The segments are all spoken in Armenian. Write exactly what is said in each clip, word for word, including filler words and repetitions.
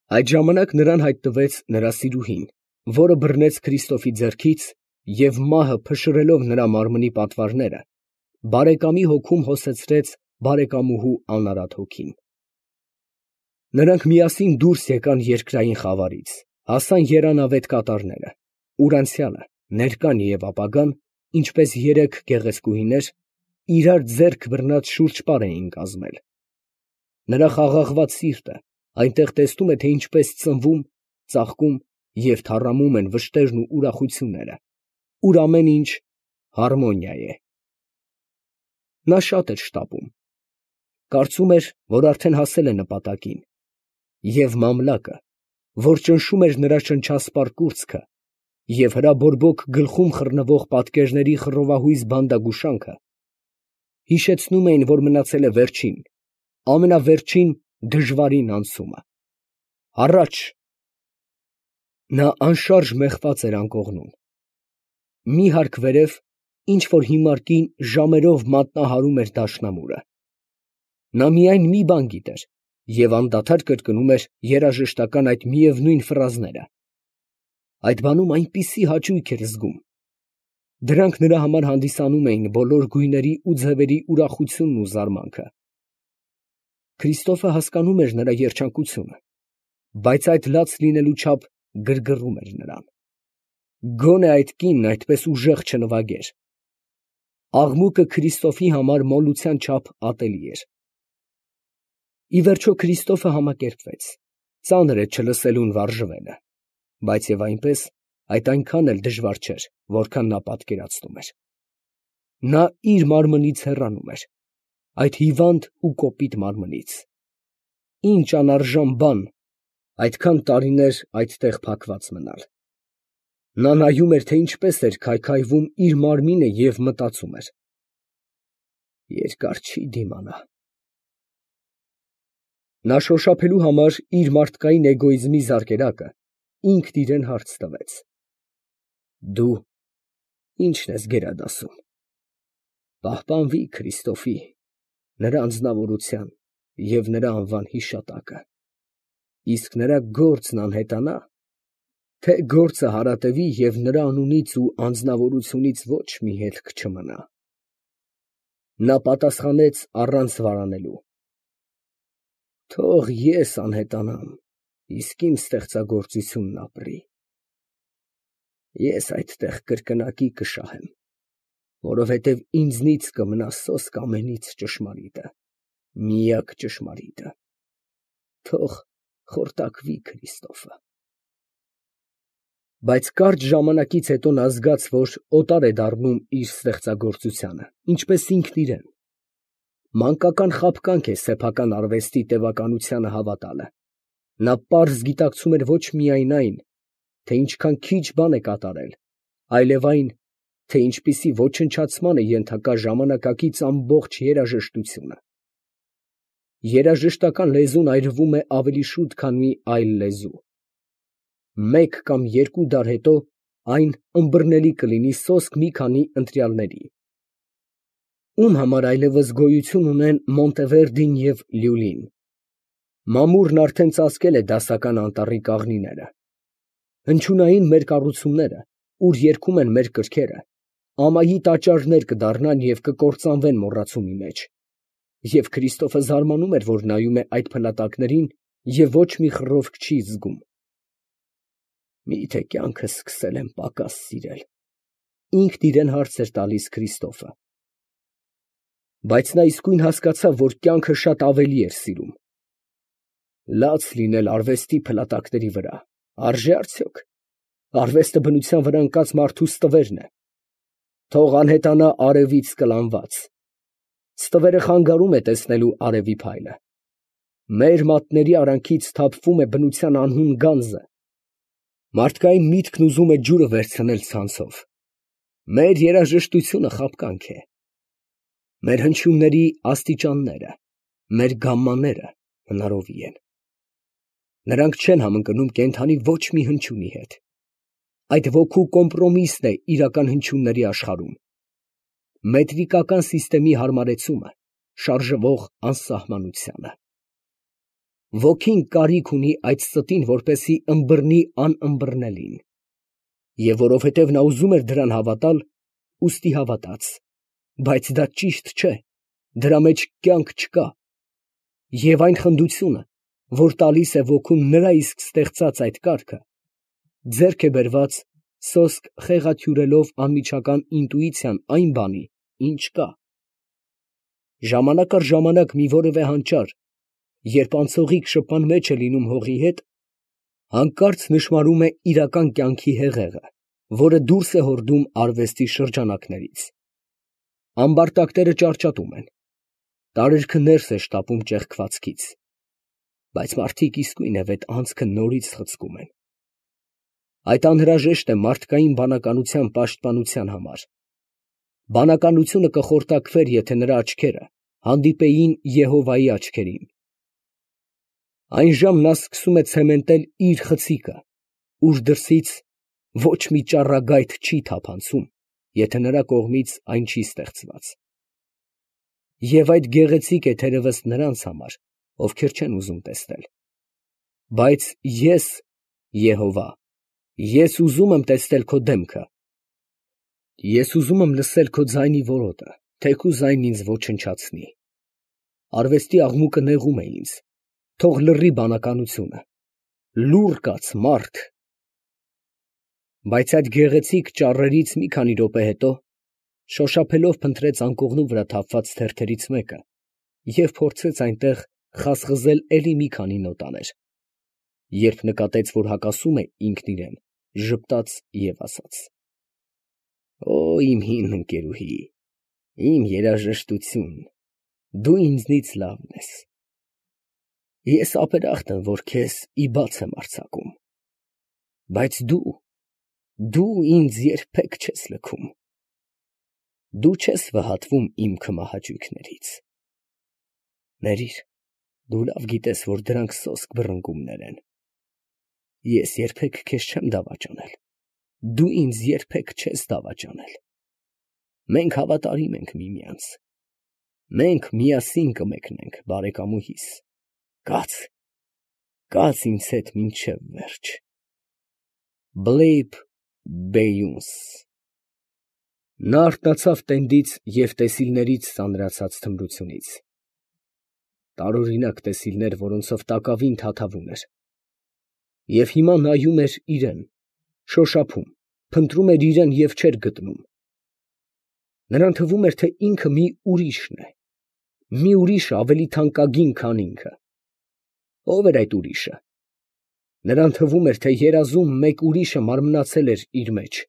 Այդ ժամանակ նրան հայտնվեց նրա սիրուհին, որը բռնեց Քրիստոֆի ձեռքից և մահը փշրելով նրա մարմնի պատվարները, բարեկամի հոգում հոսեցրեց բարեկամուհու անարատ հոգին։ Նրանք միասին դուրս եկան երկրային խավարից, հասան երանավետ կատարները, ուր անցյալը, ներկան և ապագան, ինչպես երեք գեղեցկուհիներ, իրար ձեռք բռնած շուրջպար էին կազմել։ Նրա խաղաղված սիրտը այնտեղ տեսնում է, թե ինչպես ծնվում, ծաղկում և թառամում են վշտերն ու ուրախությունները, ուր ամեն ինչ հարմոնիա է։ Նա շատ էր շտապում. կարծում էր, որ արդեն հասել է նպատակին, և մամլակը, որ ճնշում էր նրա շնչասպառ կուրծքը, և հրաբորբոք գլխում խռնվող պատկերների խռովահույզ բանդագուշանքը, հիշեցնում էին, որ մնացել է վերջին, ամենավերջին դժվարին անցումը… Առաջ… Նա անշարժ մեխված էր անկողնում… Մի հարկ վերև ինչ֊որ հիմար կին ժամերով մատնահարում էր դաշնամուրը… Նա միայն մի բան գիտեր և անդադար կրկնում էր երաժշտական այդ միևնույն ֆրազները… Այդ բանում այնպիսի հաճույք էր զգում… Դրանք նրա համար հանդիսանում էին բոլոր գույների ու ձևերի ուրախությունն ու զարմանքը… Քրիստոֆը հասկանում էր նրա երջանկությունը, բայց այդ լաց լինելու չափ գրգռում էր նրան… Գոնե այդ կինն այդպես ուժեղ չնվագեր… Աղմուկը Քրիստոֆի համար մոլության չափ ատելի էր… Ի վերջո Քրիստոֆը համակերպվեց, ծանր է չլսելուն վարժվելը, բայց և այնպես, այդ այնքան էլ դժվար չէր, որքան նա պատկերացնում էր… Նա իր մարմնից հեռանում էր, այդ հիվանդ ու կոպիտ մարմնից… Ինչ անարժան բան այդքան տարիներ այդտեղ փակված մնալ… Նա նայում էր, թե ինչպես էր քայքայվում իր մարմինը և մտածում էր. երկար չի դիմանա… Նա շոշափելու համար իր մարդկային էգոիզմի զարկերակը ինքն իրան հարց տվեց. դու ի՞նչն ես գերադասում… պահպանվի Քրիստոֆի, նրա անձնավորության և նրա անվան հիշատակը… իսկ նրա գործն անհետանա, թե՞ գործը հարատևի և նրա անունից ու անձնավորությունից ոչ մի հետք չմնա… Նա պատասխանեց առանց վարանելու. թող ես անհետանամ, իսկ իմ ստեղծագործությունն ապրի… Ես այդտեղ կրկնակի կշահեմ, որովհետև ինձնից կմնա սոսկ ամենից ճշմարիտը, միակ ճշմարիտը… թող խորտակվի Քրիստոֆը… Բայց կարճ ժամանակից հետո նա զգաց, որ օտար է դառնում իր ստեղծագործությանը, ինչպես ինքն իրան… Մանկական խաբկանք է սեփական արվեստի տևականությանը հավատալը… Նա պարզ գիտակցում էր ոչ միայն այն, թե ինչքան քիչ բան է կատարել, այլև այն, թե ինչպիսի ոչնչացման է ենթակա ժամանակակից ամբողջ երաժշտությունը… Երաժշտական լեզուն այրվում է ավելի շուտ, քան մի այլ լեզու… Մեկ կամ երկու դար հետո այն ըմբռնելի կլինի սոսկ մի քանի ընտրյալների… Ում համար այլևս գոյություն ունեն Մոնտևերդին և Լյուլին… Մամուռն արդեն ծածկել է դասական անտառի կաղնիները… Հնչյունային մեր կառուցումները, ուր երգում են մեր կրքերը, ամայի տաճարներ կդառնան և կկործանվեն մոռացումի մեջ… Եվ Քրիստոֆը զարմանում էր, որ նայում է այդ փլատակներին և ոչ մի խռովք չի զգում… Մի՞թե կյանքս սկսել եմ պակաս սիրել… ինքն իրան հարց էր տալիս Քրիստոֆը… Բայց նա իսկույն հասկացավ, որ կյանքը շատ ավելի էր սիրում… Լաց լինել արվեստի փլատակների վրա… արժե՞ արդյոք… Արվեստը բնության վրա ընկած մարդու ստվերն է… Թող անհետանա արևից կլանված… Ստվերը խանգարում է տեսնելու արևի փայլը… Մեր մատների արանքից թափվում է բնության անհուն գանձը… Մարդկային միտքն ուզում է ջուրը վերցնել ցանցով… Մեր երաժշտությունը խաբկանք է… Մեր հնչյունների աստիճանները, մեր գամմաները հնարովի են… Նրանք չեն համընկնում կենդանի ոչ մի հնչյունի հետ… Այդ ոգու կոմպրոմիսն է իրական հնչյունների աշխարհում… Մետրիկական սիստեմի հարմարեցումը՝ շարժվող անսահմանությանը… Ոգին կարիք ունի այդ ստին, որպեսզի ըմբռնի անըմբռնելին, և որովհետև նա ուզում էր դրան հավատալ, ուստի հավատաց, բայց դա ճիշտ չէ, դրա մեջ կյանք չկա, և այն խնդությունը, որ տալիս է ոգուն նրա իսկ ստեղծած այդ կարգը, ձեռք է բերված սոսկ խեղաթյուրելով անմիջական ինտուիցիան այն բանի, ինչ կա։ Ժամանակ առ ժամանակ մի որևէ հանճար, երբ անցողիկ շփման մեջ է լինում հողի հետ, հանկարծ նշմարում է իրական կյանքի հեղեղը, որը դուրս է հորդում արվեստի շրջանակներից։ Ամբարտակները ճարճատում են, տարերքը ներս է շտապում ճեղքվածքից, բայց մարդիկ իսկույն է վետ անցքը նորից խցկում են։ Այդ անհրաժեշտ է մարդկային բանականության պաշտպանության համար։ Բանականությունը կխորտակվեր, եթե նրա աչքերը հանդիպեին Եհովայի աչքերին։ Այն ժամ նա սկսում է ցեմենտել իր խցիկը, ուր դրսից ոչ մի ճառագայթ չի թափանցում, եթե նրա կողմից այն չի ստեղծված։ Եվ այդ գեղեցիկ է թերևս նրանց համար, ովքեր չեն ուզում տեսնել։ Բայց ես, Եհովա, ես ուզում եմ տեսնել քո դեմքը։ Ես ուզում եմ լսել քո ձայնի որոտը, թեկուզ այն ինձ ոչնչացնի։ Արվեստի աղմուկը նեղում է ինձ, թող լռի բանականությունը, լուռ կաց, մարդ։ Բայց այդ գեղեցիկ ճառերից մի քանի րոպե հետո շոշափելով փնտրեց անկողնու վրա թափված թերթերից մեկը և փորձեց այնտեղ խազխզել էլի մի քանի նոտաներ, երբ նկատեց, որ հակասում է ինքն իրան, ժպտաց և ասաց. «Օ, իմ հին ընկերուհի, իմ երաժշտություն, դու ինձնից լավն ես։ Ես ապերախտ եմ, որ քեզ ի բաց եմ արձակում, բայց դու, դու ինձ երբեք չես լքում, դու չես վհատվում իմ քմահաճույքներից։ Ներիր, դու լավ գիտես, որ դրանք սոսկ բռնկումներ են։ Ես երբեք քեզ չեմ դավաճանել, դու ինձ երբեք չես դավաճանել։ Մենք հավատարիմ ենք միմյանց, մենք միասին կմեկնենք, բարեկամուհիս, կաց, կաց ինձ հետ մինչև վերջ։ Բլեյբ Բեյունս»։ Նա արթնացավ տենդից և տեսիլներից ծանրացած թմրությունից։ Տարօրինակ տեսիլներ, որոնցով տակավին թաթավում էր։ Եվ հիմա նայում էր իրան, շոշափում, փնտրում էր իրան և չէր գտնում։ Նրան թվում էր, թե ինքը մի ուրիշն է, մի ուրիշը ավելի թանկագին, քան ինքը։ Ո՞վ էր այդ ուրիշը։ Նրան թվում էր, թե երազում մեկ ուրիշը մարմնացել էր իր մեջ։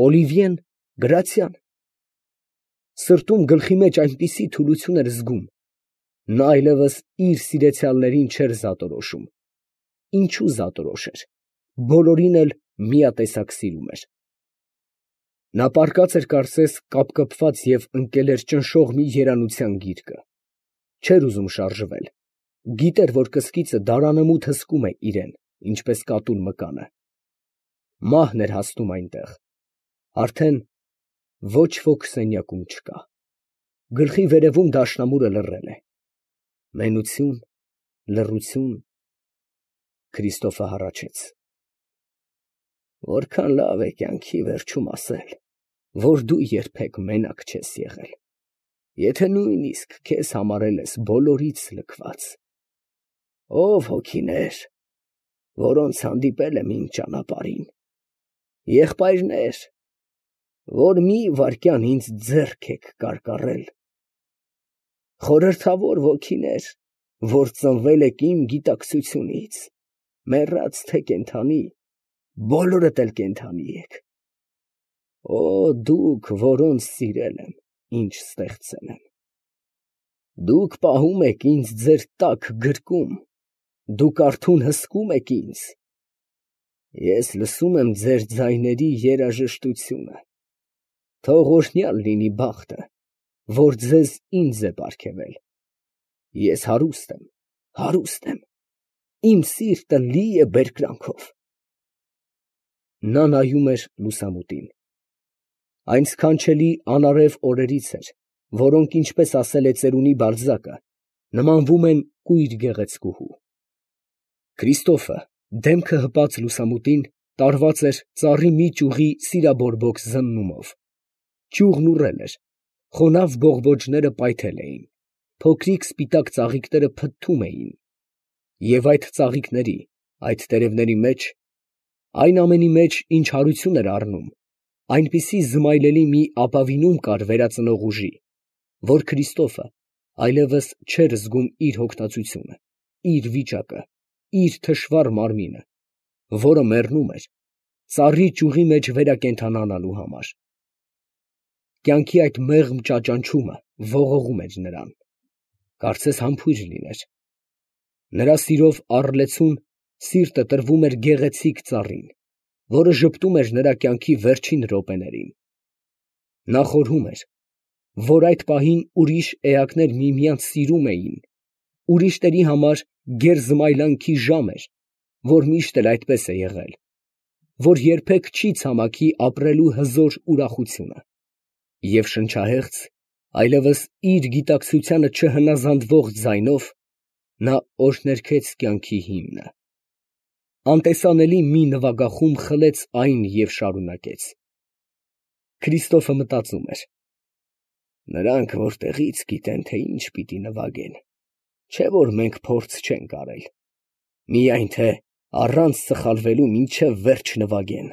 Օլիվիե՞ն, Գրացյա՞ն։ Սրտում գլխի մեջ այնպիսի թուլություն էր զգում, նա այլևս իր սիրեցյալներին չէր զատորոշում։ Ինչու զատորոշեր, բոլորին էլ միատեսակ սիրում էր։ Նա պառկած էր կարծես կապկպված և ընկել էր ճնշող մի երանության գիրկը, չէր ուզում շարժվել, գիտեր, որ կսկիծը դարանմութ հսկում է իրան, ինչպես կատուն մկանը։ Մահն էր հասնում այնտեղ, արդեն ոչ ոք սենյակում չկա, գլխի վերևում դաշնամուրը լռել է։ Մենություն, լռություն… Քրիստոֆը հառաչեց. «Որքան լավ է կյանքի վերջում ասել, որ դու երբեք մենակ չես եղել, եթե նույնիսկ քեզ համարել ես բոլորից լքված։ Ո՛վ հոգիներ, որոնց հանդիպել եմ իմ ճանապարհին, եղբայրներ, որ մի վայրկյան ինձ ձեռք եք կարկառել, խորհրդավոր ոգիներ, որ ծնվել եք իմ գիտակցությունից, մեռած թե կենդանի, բոլորդ էլ կենդանի եք… Օ, դուք, որոնց սիրել եմ, ինչ ստեղծել եմ… Դուք պահում եք ինձ ձեր տաք գրկում, դուք արթուն հսկում եք ինձ… Ես լսում եմ ձեր ձայների երաժշտությունը… Թող օրհնյալ լինի բախտը, որ ձեզ ինձ է պարգևել… Ես հարուստ եմ, հարուստ եմ, իմ սիրտը լի է բերկրանքով…»։ Նա նայում էր լուսամուտին։ Այն սքանչելի անարև օրերից էր, որոնք, ինչպես ասել է ծերունի Բալզակը, նմանվում են կույր գեղեցկուհու։ Քրիստոֆը, դեմքը հպած լուսամուտին, տարված էր ծառի մի ճյուղի սիրաբորբոք զննումով. ճյուղն ուռել էր, խոնավ բողբոջները պայթել էին, փոքրիկ սպիտակ ծաղիկները փթթում էին, և այդ ծաղիկների, այդ տերևների մեջ, այն ամենի մեջ, ինչ հարություն էր առնում, այնպիսի զմայլելի մի ապավինում կար վերածնող ուժի, որ Քրիստոֆը այլևս չէր զգում իր հոգնածությունը, իր վիճակը, իր թշվառ մարմինը, որը մեռնում էր ծառի ճյուղի մեջ վերակենդանանալու համար։ Կյանքի այդ մեղմ ճաճանչումը ողողում էր նրան, կարծես համբույր լիներ։ Նրա սիրով առլեցուն սիրտը տրվում էր գեղեցիկ ծառին, որը ժպտում էր նրա կյանքի վերջին րոպեներին։ Նա խորհում էր, որ այդ պահին ուրիշ էակներ միմյանց սիրում էին, ուրիշների համար գերզմայլանքի ժամ էր, որ միշտ էլ այդպես է եղել, որ երբեք չի ցամաքի ապրելու հզոր ուրախությունը, և շնչահեղձ, այլևս իր գիտակցությանը չհնազանդվող ձայնով նա օրհներգեց կյանքի հիմնը, անտեսանելի մի նվագախումբ խլեց այն և շարունակեց. Քրիստոֆը մտածում էր. «Նրանք որտեղի՞ց գիտեն, թե ինչ պիտի նվագեն, չէ՞ որ մենք փորձ չենք արել, միայն թե առանց սխալվելու մինչև վերջ նվագեն»։